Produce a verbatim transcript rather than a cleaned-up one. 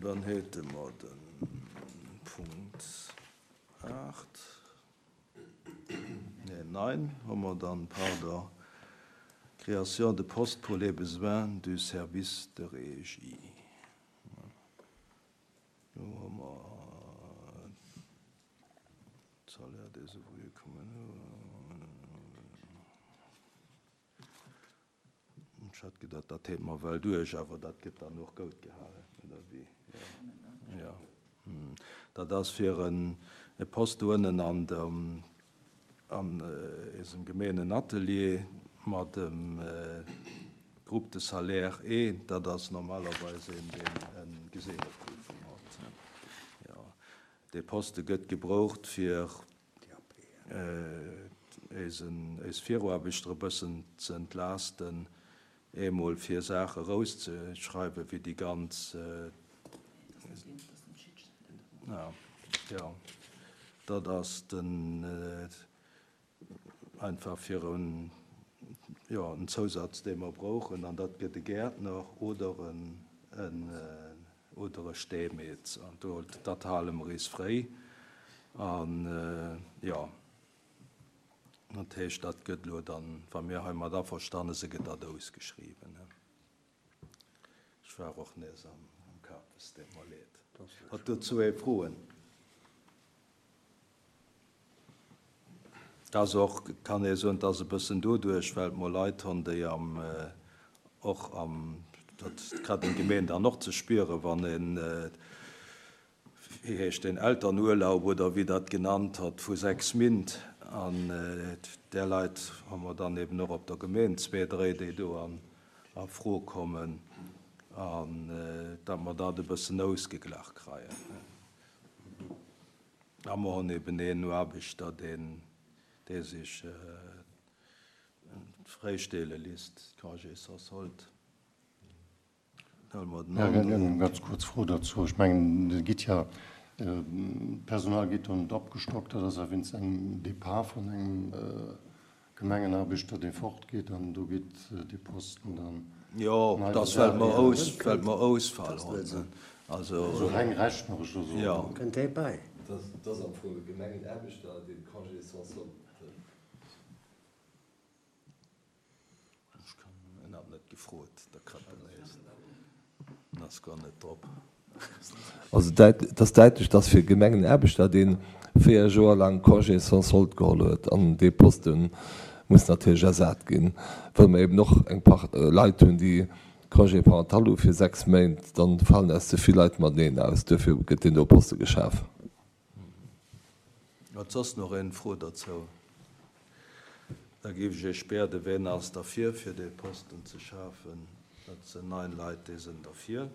Dann hätte mer de Punkt aacht, nee, neun hu mer dann, pardon, Création de postes pour les besoins du service de régie. Do hu mer Salaire des ouvriers communaux. Ech hat gedacht, dat hate mer well duerch, awer dat gëtt dann och goud gehalen, oder wéi? Ja. Ja. Hm. Dat ass fir en e Poste do ënnen an dem an eisem Gemeengenatelier mat dem Groupe de salaire E, dat ass normalerweis een, deen eng Geselleprüfung hat. Jo, dee Poste gëtt gebraucht fir eisen, eis Viruaarbechter e bëssen ze entlaasten, eemol fir Saache rauszeschreiwen, wéi déi ganz, jo, dat ass den, einfach fir en, jo, en Zousatz, dee mer brauchen, an dat gëtt e Gäertner oder en, en, oder e Steemeetz. An do, dat hale mer is fréi. An, jo, dat heescht, dat gëtt elo dann, wa mir heimat averstane si, gëtt dat ausgeschriwwen. Ech war och nees am, am Kap, es deet mer leed. Hat dozou ee Froen? Et ass och, kann ee soen, et ass e bëssen doduerch, well mer Leit hunn, déi am, och am, dat grad eng Gemeen dann och ze spieren, wann een, wéi heescht deen, Elternurlaub oder wéi dat genannt hat, vu sechs Mint, an där Leit hu mer dann eben och op der Gemeen zwee, dréi, déi do an a Fro kommen, an datt mer dat e bëssen ausgeglach kreien. A mer hunn eben een Aarbechter, deen, dee sech fräistelle lisst, Congé sans solde. Huele mer den Ja, aneren. eng ganz kuerz Fro dozou. Ech mengen, et gitt ja, d'Personal gétt do net opgestockt, dat ass ja wéinst engem Départ vun engem Gemengenaarbechter, dee fortgeet, an do geet dee Posten dann Jo, nei dat ass, well besat mer ginn. aus, well mer Ausfall hunn. Also Also, reng rechneresch oder jo. sou. Kënnt dee bäi? Dat ass am Fong e Gemengenaarbechter, dee Congé sans solde hëlt. Ech kann, en hat net gefrot, der Krëppel en ass guer net drop. Also et ass däitlech, dass fir e Gemengenaarbechter, dee véier Joer laang Congé sans solde geholl huet, an dee Poste muss natierlech ersat ginn, well mer eben och eng Part Leit hunn, déi Congé parental hu fir sechs Méint, dann falen eis ze vill Leit mateneen aus. Duerfir gëtt deen do Poste geschaf. Huet soss nach een Fro derzou? Da géif ech Iech bieden, ween ass derfir, fir dee Posten ze schafen? Dat sinn neun Leit, déi sinn derfir.